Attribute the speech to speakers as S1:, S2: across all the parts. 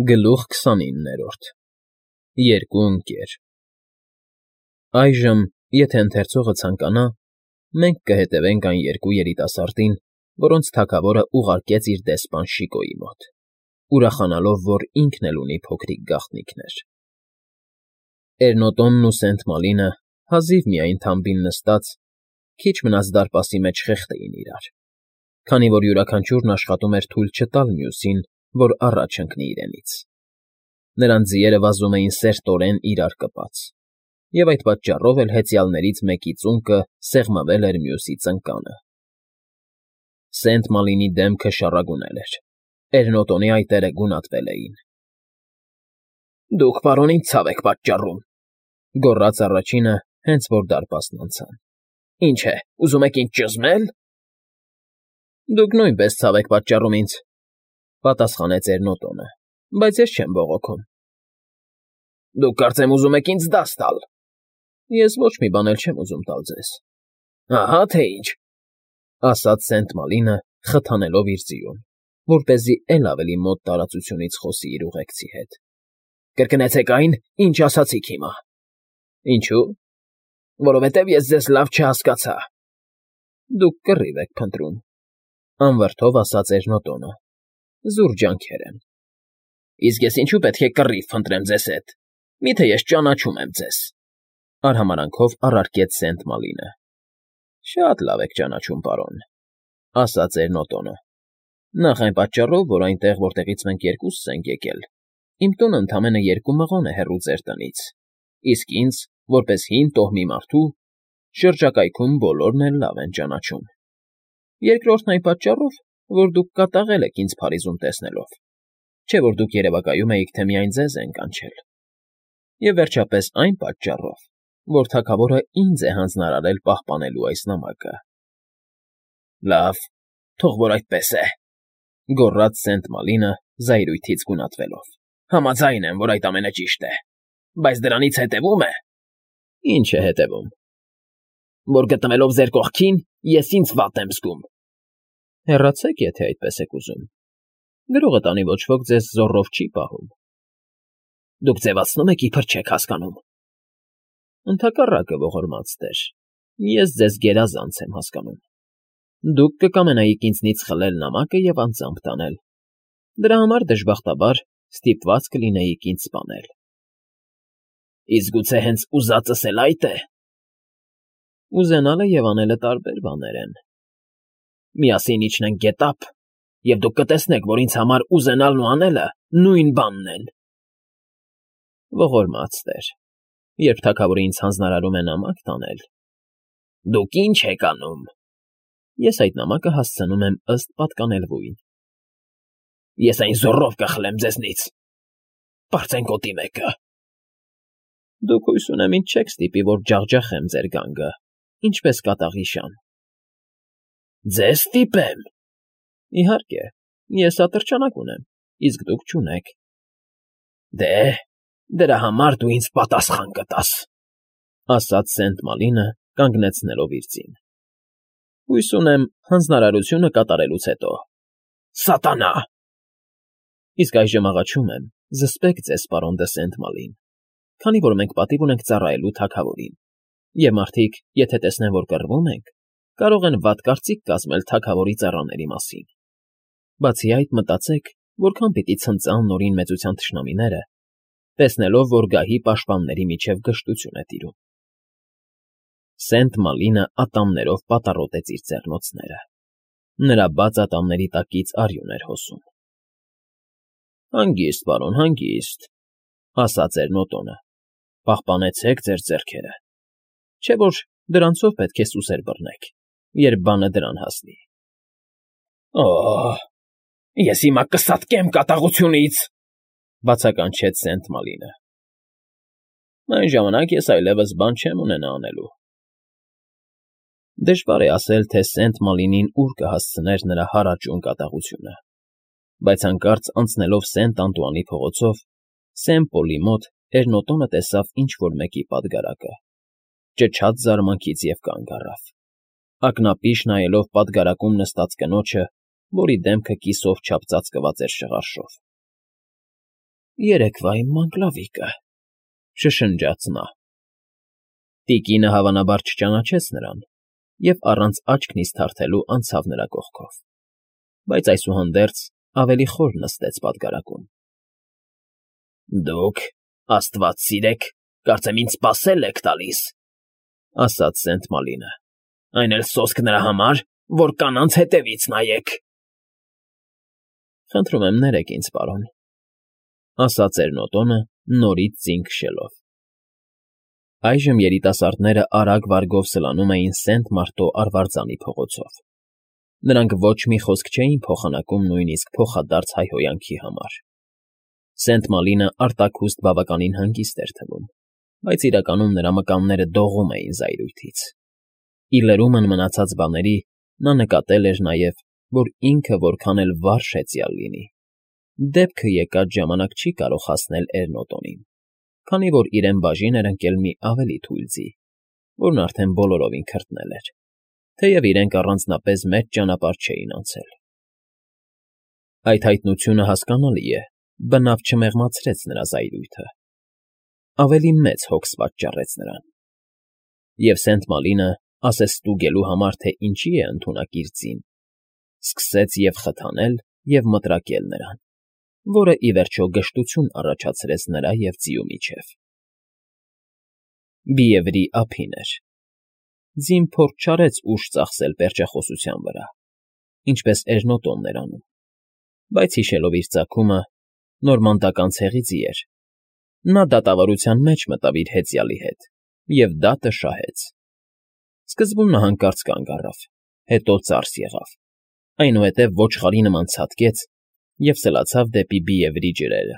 S1: Գլուխ 29 Երկու ընկեր Այժմ, եթե ընթերցողը ցանկանա, մենք կհետևենք այն երկու երիտասարդին, որոնց թագավորը ուղարկեց իր դեսպան Շիկոյի մոտ, ուրախանալով, որ ինքն էլ ունի փոքրիկ գաղտնիքներ։ Էրնոտոնն ու Սենտ Մալինը հազիվ միայն թամբին նստած, քիչ մնաց դարպասի մեջ խեղդեին իրար, քանի որ յուրաքանչյուրն աշխատում էր թույլ չտալ մյուսին, որ առաջ ընկնի իրենից։ Նրանց ձիերը վազում էին սերտորեն իրար կպած, և այդ պատճառով էլ հեծյալներից մեկի ծունկը սեղմվել էր մյուսի ծնկանը։ Սենտ Մալինի դեմքը շառագունել էր, Էրնոտոնի այտերը գունատվել էին։ ֊ Դուք, պարոն, ինձ ցավ եք պատճառում,֊ գոռաց առաջինը, հենց որ դարպասն անցան։ ֊ Ինչ է, ուզում եք ինձ ճզմե՞լ։ ֊ Դուք նույնպես ցավ եք պատճառում ինձ,֊ պատասխանեց Էրնոտոնը,֊ բայց ես չեմ բողոքում։ ֊ Դուք, կարծեմ, ուզում եք ինձ դաս տալ։ ֊ Ես ոչ մի բան էլ չեմ ուզում տալ ձեզ։ ֊ Ահա թե ինչ,֊ ասաց Սենտ Մալինը, խթանելով իր ձիուն, որպեսզի էլ ավելի մոտ տարածությունից խոսի իր ուղեկցի հետ։ ֊ Կրկնեցեք այն, ինչ ասացիք հիմա։ ֊ Ինչո՞ւ։ ֊ Որովհետև ես ձեզ լավ չհասկացա։ ֊ Դուք կռիվ եք փնտրում,֊ անվրդով ասաց Էրնոտոնը,֊ զուր ջանքեր են։ ֊ Իսկ ես ինչու պետք է կռիվ փնտրեմ ձեզ հետ, միթե ես ճանաչում եմ ձեզ,֊ արհամարանքով առարկեց Սենտ Մալինը։ ֊ Շատ լավ եք ճանաչում, պարոն,֊ ասաց Էրնոտոնը,֊ նախ այն պատճառով, որ այնտեղ, որտեղից մենք երկուսս ենք եկել, իմ տունը ընդամենը 2 մղոն է հեռու ձեր տնից, իսկ ինձ, որպես հին տոհմի մարդու, շրջակայքում բոլորն էլ լավ են ճանաչում։ Երկրորդն այն պատճառով, որ դուք կատաղել եք ինձ Փարիզում տեսնելով, չէ՞ որ դուք երևակայում էիք, թե միայն ձեզ են կանչել։ Եվ վերջապես այն պատճառով, որ թագավորը ինձ է հանձնարարել պահպանելու այս նամակը։ ֊ Լավ, թող որ այդպես է,֊ գոռաց Սենտ Մալինը, զայրույթից գունատվելով,֊ համաձայն եմ, որ այդ ամենը ճիշտ է, բայց դրանից հետևում է… ֊ Ի՞նչ է հետևում։ ֊ Որ գտնվելով ձեր կողքին, ես ինձ վատ եմ զգում։ ֊ Հեռացեք, եթե այդպես եք ուզում։ Գրողը տանի ոչ ոք ձեզ զոռով չի պահում։ ֊ Դուք ձևացնում եք, իբր չեք հասկանում։ ֊ Ընդհակառակը, ողորմած տեր, ես ձեզ գերազանց եմ հասկանում։ Դուք կկամենայիք ինձնից խլել նամակը և անձամբ տանել։ Դրա համար, դժբախտաբար, ստիպված կլինեիք ինձ սպանել։ ֊ Իսկ գուցե հենց ուզածս էլ այդ է։ ֊ Ուզենալը և անելը տարբեր բաներ են։ ֊ Միասին իջնենք գետափ, և դուք կտեսնեք, որ ինձ համար ուզենալն ու անելը նույն բանն են։ ֊ Ողորմած տեր, երբ թագավորը ինձ հանձնարարում է նամակ տանել… ֊ Դուք ի՞նչ եք անում։ ֊ Ես այդ նամակը հասցնում եմ ըստ պատկանելվույն։ ֊ Ես այն զոռով կխլեմ ձեզնից… Պարծեն գոտի մեկը… ֊ Դուք հույս ունեմ ինձ չեք ստիպի, որ ջախջախեմ ձեր գանգը, ինչպես կատաղի շան։ ֊ Ձեզ ստիպեմ։ ֊ Իհարկե, ես ատրճանակ ունեմ, իսկ դուք չունեք։ ֊ Դե, դրա համար դու ինձ պատասխան կտաս,֊ ասաց Սենտ Մալինը, կանգնեցնելով իր ձին։ ֊ Հույս ունեմ հանձնարարությունը կատարելուց հետո։ ֊ Սատանա… ֊ Իսկ այժմ աղաչում եմ, զսպեք ձեզ, պարոն դը Սենտ Մալին, քանի որ մենք պատիվ ունենք ծառայելու թագավորին, և մարդիկ, եթե տեսնեն, որ կռվում ենք, կարող են վատ կարծիք կազմել թագավորի ծառաների մասին։ Բացի այդ, մտածեք, որքան պիտի ցնծան Նորին Մեծության թշնամիները, տեսնելով, որ գահի պաշտպանների միջև գժտություն է տիրում։ Սենտ Մալինը ատամներով պատառոտեց իր ձեռնոցները։ Նրա բաց ատամների տակից արյուն էր հոսում։ ֊ Հանգիստ, պարոն, հանգիստ,֊ ասաց Էրնոտոնը,֊ պահպանեցեք ձեր ձեռքերը, չէ՞ որ դրանցով պետք է սուսեր բռնեք, երբ բանը դրան հասնի։ ֊ Օ՜, ես հիմա կսատկեմ կատաղությունից,֊ բացականչեց Սենտ Մալինը։ ֊ Այն ժամանակ ես այլևս բան չեմ ունենա անելու։ Դժվար է ասել, թե Սենտ Մալինին ուր կհասցներ նրա հարաճուն կատաղությունը, բայց հանկարծ անցնելով Սենտ Անտուանի փողոցով, Սեն֊Պոլի մոտ Էրնոտոնը տեսավ ինչ֊որ մեկի պատգարակը, ճչաց զարմանքից և կանգ առավ, ակնապիշ նայելով պատգարակում նստած կնոջը, որի դեմքը կիսով չափ ծածկված էր շղարշով։ Երեկվա իմ մանկլավիկը, շշնջաց նա։ Տիկինը հավանաբար չճանաչեց նրան և առանց աչք նիզթարթելու անցավ նրա կողքով, բայց այսուհանդերձ ավելի խոր նստեց պատգարակում։ Դուք, աստված սիրեք, կարծեմ ինձ սպասել եք տալիս, ասաց Սենտ Մալինը, այն էլ սոսկ նրա համար, որ կանանց հետևից նայեք։ Խնդրում եմ ներեք ինձ, պարոն, ասաց Էրնոտոնը, նորից ձին քշելով։ Այժմ երիտասարդները արագ վարգով սլանում էին Սենտ Մարտո արվարձանի փողոցով։ Նրանք ոչ մի խոսք չէին փոխանակում նույնիսկ փոխադարձ հայհոյանքի համար։ Սենտ Մալինը արտաքուստ բավականին հանգիստ էր թվում, բայց իրականում նրա մկանները դողում էին զայրույթից։ Ի լրումն մնացած բաների նա նկատել էր նաև, որ ինքը որքան էլ վարժ հեծյալ լինի, դեպքը եկած ժամանակ չի կարող հասնել Էրնոտոնին, քանի որ իրեն բաժին էր ընկել մի ավելի թույլ ձի, որն արդեն բոլորովին քրտնել էր, թեև իրենք առանձնապես մեծ ճանապարհ չէին անցել։ Այդ հայտնությունը հասկանալի է, բնավ չմեղմացրեց նրա զայրույթը, ավելի մեծ հոգս պատճառեց նրան։ Եվ Սենտ Մալինը, ասես ստուգելու համար, թե ինչի է ընդունակ իր ձին, սկսեց և խթանել, և մտրակել նրան, որը, ի վերջո, գժտություն առաջացրեց նրա և ձիու միջև։ Բիևրի ափին էր։ Ձին փորձ չարեց ուժ ծախսել պերճախոսության վրա, ինչպես Էրնոտոնն էր անում, բայց հիշելով իր ծագումը, նորմանդական ցեղի ձի էր, նա դատավարության մեջ մտավ իր հեծյալի հետ և դատը շահեց։ Սկզբում նա հանկարծ կանգ առավ, հետո ծարս եղավ, այնուհետև ոչխարի նման ցատկեց և սլացավ դեպի Բիևրի ջրերը։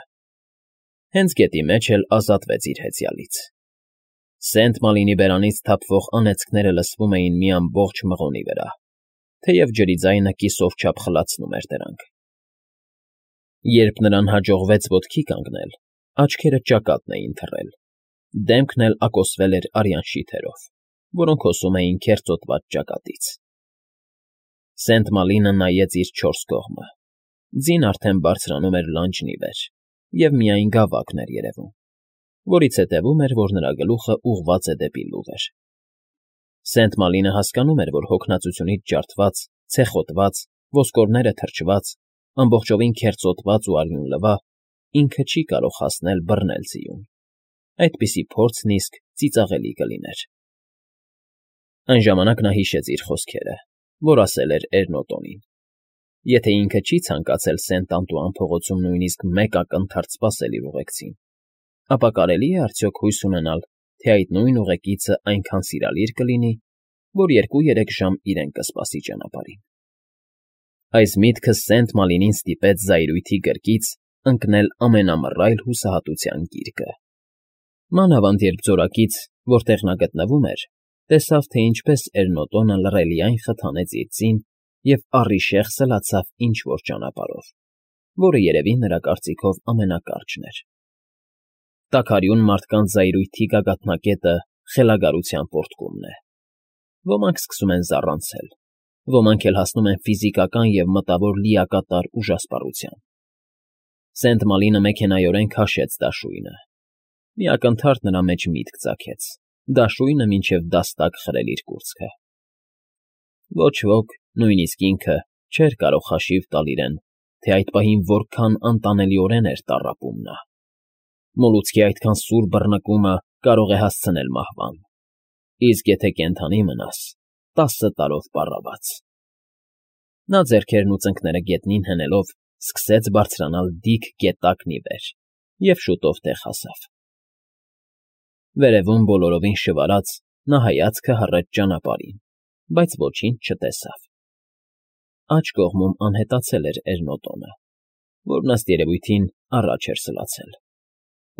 S1: Հենց գետի մեջ էլ ազատվեց իր հեծյալից։ Սենտ Մալինի բերանից թափվող անեծքները լսվում էին մի ամբողջ մղոնի վրա, թեև ջրի ձայնը կիսով չափ խլացնում էր դրանք։ Երբ նրան հաջողվեց ոտքի կանգնել, աչքերը ճակատն էին թռել, դեմքն էլ ակոսվել էր արյան շիթերով, որոնք հոսում էին քերծոտված ճակատից։ Սենտ Մալինը նայեց իր չորս կողմը։ Ձին արդեն բարձրանում էր լանջն ի վեր, և միայն գավակն էր երևում, որից հետևում էր, որ նրա գլուխը ուղղված է դեպի լուղեր։ Սենտ Մալինը հասկանում էր, որ հոգնածությունից ջարդված, ցեխոտված, ոսկորները թրջված, ամբողջովին քերծոտված ու արյունլվա, ինքը չի կարող հասնել բռնել ձիուն։ Այդպիսի փորձն իսկ ծիծաղելի կլիներ։ Այն ժամանակ նա հիշեց իր խոսքերը, որ ասել էր Էրնոտոնին։ Եթե ինքը չի ցանկացել Սենտ Անտուան փողոցում նույնիսկ մեկ ակնթարթ սպասել իր ուղեկցին, ապա կարելի է արդյոք հույս ունենալ, թե այդ նույն ուղեկիցը այնքան սիրալիր կլինի, որ 2-3 ժամ իրեն կսպասի ճանապարհին։ Այս միտքը Սենտ Մալինին ստիպեց զայրույթի գրկից ընկնել ամենամռայլ հուսահատության գիրկը։ Մանավանդ երբ ձորակից, որտեղ նա գտնվում էր, տեսավ, թե ինչպես Էրնոտոնը լռելիայն խթանեց իր ձին և առիշեղ սլացավ ինչ֊որ ճանապարհով, որը երևի նրա կարծիքով ամենակարճն էր։ Տաքարյուն մարդկանց զայրույթի գագաթնակետը խելագարության պոռթկումն է։ Ոմանք սկսում են զառանցել, ոմանք էլ հասնում են ֆիզիկական և մտավոր լիակատար ուժասպառության։ Սենտ Մալինը մեքենայորեն քաշեց դաշույնը։ Մի ակնթարթ նրա մեջ միտք ծագեց՝ դաշույնը մինչև դաստակ խրել իր կուրծքը։ Ոչ ոք, նույնիսկ ինքը, չէր կարող հաշիվ տալ իրեն, թե այդ պահին որքան անտանելիորեն էր տառապում նա։ Մոլուցքի այդքան սուր բռնկումը կարող է հասցնել մահվան, իսկ եթե կենդանի մնաս, 10 տարով պառավաց։ Նա ձեռքերն ու ծնկները գետնին հենելով սկսեց բարձրանալ դիք գետակն ի վեր և շուտով տեղ հասավ։ Վերևում բոլորովին շվարած նա հայացքը հառեց ճանապարհին, բայց ոչինչ չտեսավ։ Աջ կողմում անհետացել էր Էրնոտոնը, որն ըստ երևույթին առաջ էր սլացել։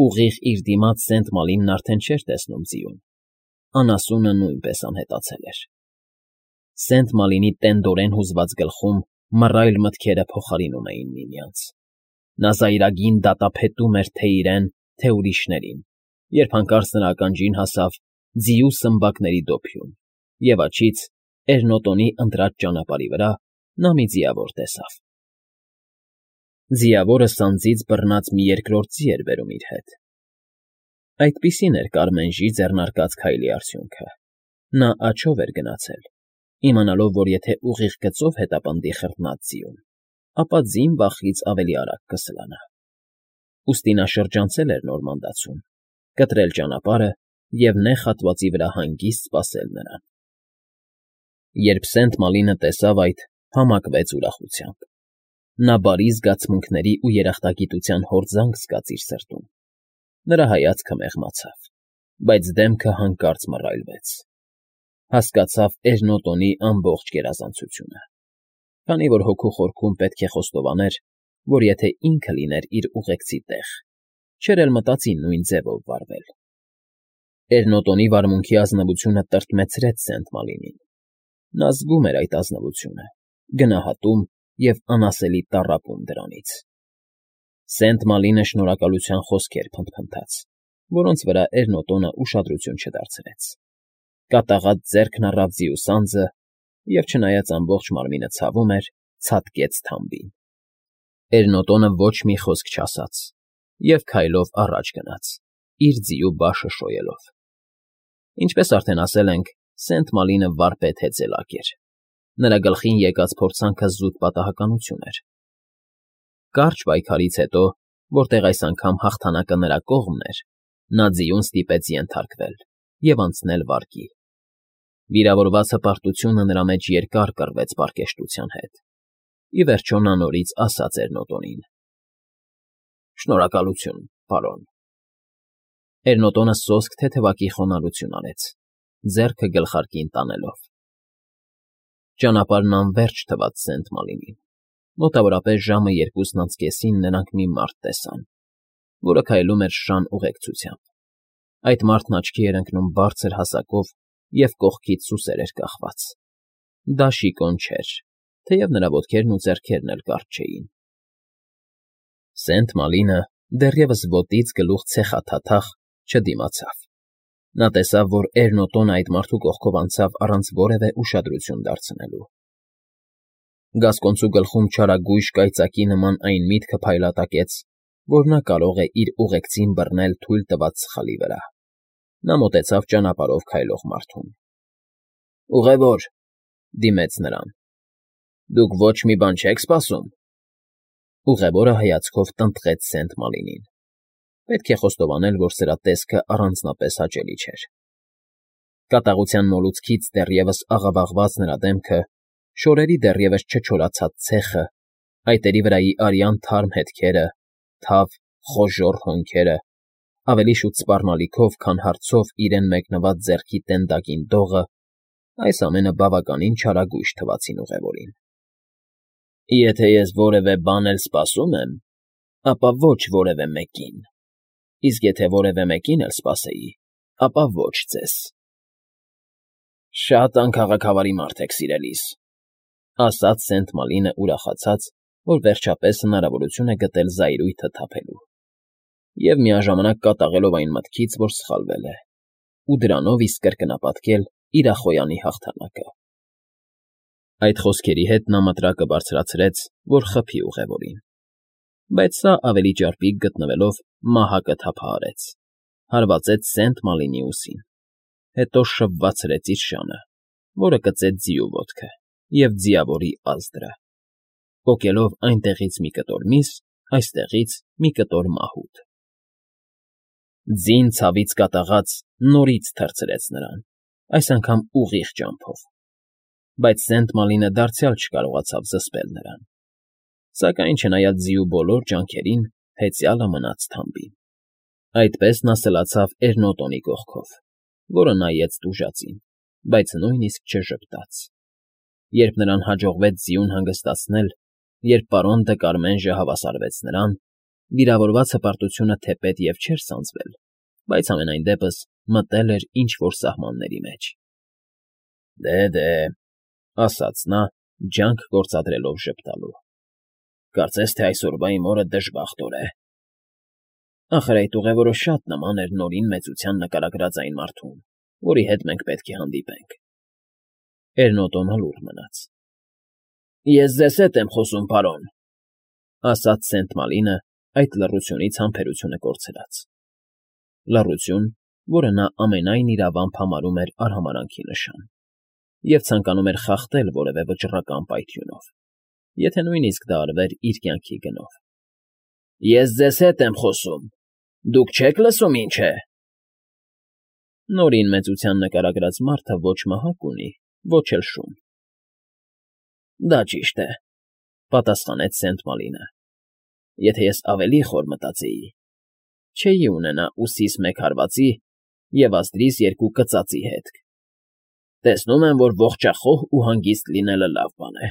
S1: Ուղիղ իր դիմաց Սենտ Մալինն արդեն չէր տեսնում ձիուն, անասունը նույնպես անհետացել էր։ Սենտ Մալինի տենդորեն հուզված գլխում մռայլ մտքերը փոխարինում էին միմյանց։ Նա զայրագին դատապետում էր թե իրեն, թե ուրիշներին, երբ հանկարծ նրա ականջին հասավ ձիու սմբակների դոփյուն, և աջից Էրնոտոնի ընտրած ճանապարհի վրա նա մի ձիավոր տեսավ։ Ձիավորը սանձից բռնած մի երկրորդ ձի էր բերում իր հետ։ Այդպիսին էր Կարմենժի ձեռնարկած քայլի արդյունքը։ Նա աջով էր գնացել, իմանալով, որ եթե ուղիղ գծով հետապնդի խրտնած ձիուն, ապա ձին վախից ավելի արագ կսլանա։ Ուստի նա շրջանցել էր նոր մանդացում, կտրել ճանապարհը և նեղ հատվածի վրա հանգիստ սպասել նրան։ Երբ Սենտ Մալինը տեսավ այդ, համակվեց ուրախությամբ։ Նա բարի զգացմունքների ու երախտագիտության հորձանք զգաց իր սրտում։ Նրա հայացքը մեղմացավ, բայց դեմքը հանկարծ մռայլվեց։ Հասկացավ Էրնոտոնի ամբողջ գերազանցությունը։ Քանի որ հոգու խորքում պետք է խոստովաներ, որ եթե ինքը լիներ իր ուղեկցի տեղ, չէր էլ մտածի նույն ձևով վարվել։ Էրնոտոնի վարմունքի ազնվությունը տրտմեցրեց Սենտ Մալինին։ Նա զգում էր այդ ազնվությունը, գնահատում և անասելի տառապում դրանից։ Սենտ Մալինը շնորհակալության խոսքեր փնթփնթաց, որոնց վրա Էրնոտոնը ուշադրություն չդարձրեց։ Կատաղած ձեռքն առավ ձիու սանձը և, չնայած ամբողջ մարմինը ցավում էր, ցատկեց թամբին։ Էրնոտոնը ոչ մի խոսք չասաց և քայլով առաջ գնաց, իր ձիու բաշը շոյելով։ Ինչպես արդեն ասել ենք, Սենտ Մալինը վարպետ հեծելակ էր։ Նրա գլխին եկած փորձանքը զուտ պատահականություն էր։ Կարճ պայքարից հետո, որտեղ այս անգամ հաղթանակը նրա կողմն էր, նա ձիուն ստիպեց ենթարկվել և անցնել վարկի։ Վիրավորված հպարտությունը նրա մեջ երկար կռվեց պարկեշտության հետ։ Ի վերջո նա նորից ասաց Էրնոտոնին. «Շնորհակալություն, պարոն»։ Էրնոտոնը սոսկ թեթևակի խոնարհություն արեց, ձեռքը գլխարկին տանելով։ Ճանապարհն անվերջ թվաց Սենտ Մալինին։ Մոտավորապես ժամը 2:30-ին նրանք մի մարդ տեսան, որը քայլում էր շան ուղեկցությամբ։ Այդ մարդն աչքի էր ընկնում բարձր հասակով և կողքից սուսեր էր կախված։ Դա շիկոն չէր, թեև նրա ոտքերն ու ձեռքերն էլ կարճ չէին։ Սենտ Մալինը, դեռևս ոտից գլուխ ցեխաթաթախ, չդիմացավ։ Նա տեսավ, որ Էրնոտոնը այդ մարդու կողքով անցավ առանց որևէ ուշադրություն դարձնելու։ Գասկոնցու գլխում չարագույժ կայծակի նման այն միտքը փայլատակեց, որ նա կարող է իր ուղեկցին բռնել թույլ տված սխալի վրա։ Նա մոտեցավ ճանապարհով քայլող մարդուն։ «Ուղևոր,» դիմեց նրան,֊ դուք ոչ մի բան չեք սպասում։ Ուղևորը հայացքով տնտղեց Սենտ Մալինին։ Պետք է խոստովանել, որ սրա տեսքը առանձնապես հաճելի չէր։ Կատաղության մոլուցքից դեռևս աղավաղված նրա դեմքը, շորերի դեռևս չչորացած ցեխը, այտերի վրայի արյան թարմ հետքերը, թավ, խոժոռ հոնքերը, ավելի շուտ սպառնալիքով, քան հարցով իրեն մեկնված ձեռքի տենդակին դողը, այս ամենը բավականին չարագույժ թվացին ուղևորին։ «Եթե ես որևէ բան էլ սպասում եմ, ապա ոչ որևէ մեկին, իսկ եթե որևէ մեկին էլ սպասեի, ապա ոչ ձեզ»։ «Շատ անքաղաքավարի մարդ եք, սիրելիս», ասաց Սենտ Մալինը ուրախացած, որ վերջապես հնարավորություն է գտել զայրույթը թափելու և միաժամանակ կատաղելով այն մտքից, որ սխալվել է, ու դրանով իսկ կրկնապատկել իր ախոյանի հաղթանակը։ Այդ խոսքերի հետ նա մտրակը բարձրացրեց, որ խփի ուղևորին, բայց սա ավելի ճարպիկ գտնվելով մահակը թափահարեց, հարվածեց Սենտ Մալինի ուսին, հետո շվվացրեց իր շանը, որը կծեց ձիու ոտքը և ձիավորի ազդրը, պոկելով այնտեղից մի կտոր միս, այստեղից մի կտոր մահուդ։ Ձին ցավից կատաղած նորից թռցրեց նրան, այս անգամ ուղիղ ճամփով, բայց Սենտ Մալինը դարձյալ չկարողացավ զսպել նրան։ Սակայն, չնայած ձիու բոլոր ջանքերին, հեծյալը մնաց թամբին։ Այդպես նա սլացավ Էրնոտոնի կողքով, որը նայեց տուժածին, բայց նույնիսկ չժպտաց։ Երբ նրան հաջողվեց ձիուն հանգստացնել, երբ պարոն Դը Կարմենժը հավասարվեց նրան, վիրավորված հպարտությունը թեպետ և չէր սանձվել, բայց համենայն դեպս մտել էր ինչ֊որ սահմանների մեջ։ «Դե,» ասաց նա, ջանք գործադրելով ժպտալու,֊ կարծես թե այսօրվա իմ օրը դժբախտ օր է։ Ախր այդ ուղևորը շատ նման էր Նորին մեծության նկարագրած այն մարդուն, որի հետ մենք պետք է հանդիպենք։ Էրնոտոնը լուռ մնաց։ «Ես ձեզ հետ եմ խոսում, պարոն», ասաց Սենտ Մալինը այդ լռությունից համբերությունը կորցրած. լռություն, որը նա ամենայն իրավամբ համարում էր արհամարհանքի նշան, և ցանկանում էր խախտել որևէ վճռական պայթյունով, եթե նույնիսկ դա արվեր իր կյանքի գնով։ Ես ձեզ հետ եմ խոսում, դուք չե՞ք լսում ինչ է։ Նորին մեծության նկարագրած մարդը ոչ մահակ ունի, ոչ էլ շուն։ Դա ճիշտ է, պատասխանեց Սենտ Մալինը։ Եթե ես ավելի խոր մտածեի, չէի ունենա ուսիս մեկ հարվածի և ազդրիս երկու կծածի հետք։ Տեսնում եմ, որ ողջախոհ ու հանգիստ լինելը լավ բան է։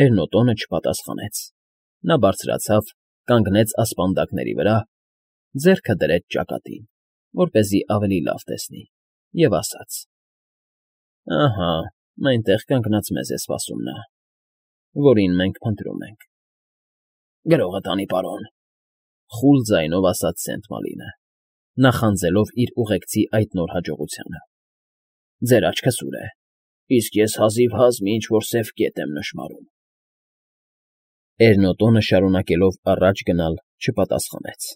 S1: Էրնոտոնը չպատասխանեց։ Նա բարձրացավ, կանգնեց ասպանդակների վրա, ձեռքը դրեց ճակատին, որպեսզի ավելի լավ տեսնի, և ասաց. Ահա, այնտեղ կանգնած մեզ է սպասում նա, որին մենք փնտրում ենք։ Գրողը տանի, պարոն, խուլ ձայնով ասաց Սենտ Մալինը, նախանձելով իր ուղեկցի այդ նոր հաջողությանը։ Ձեր աչքը սուր է, իսկ ես հազիվ մի ինչ֊որ սև կետ եմ նշմարում։ Էրնոտոնը շարունակելով առաջ գնալ չպատասխանեց։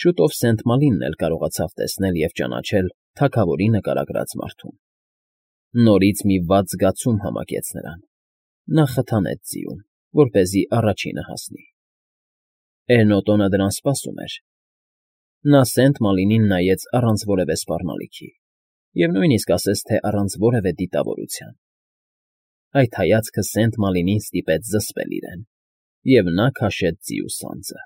S1: Շուտով Սենտ Մալինն էլ կարողացավ տեսնել և ճանաչել թագավորի նկարագրած մարդուն։ Նորից մի վատ զգացում համակեց նրան։ Նա խթանեց ձիուն, որպեսզի առաջինը հասնի։ Էրնոտոնը դրան սպասում էր։ Նա Սենտ Մալինին նայեց առանց որևէ սպառնալիքի և նույնիսկ ասես թե առանց որևէ դիտավորության։ Այդ հայացքը Սենտ Մալինին ստիպեց զսպել իրեն, և նա քաշեց ձիու սանձը։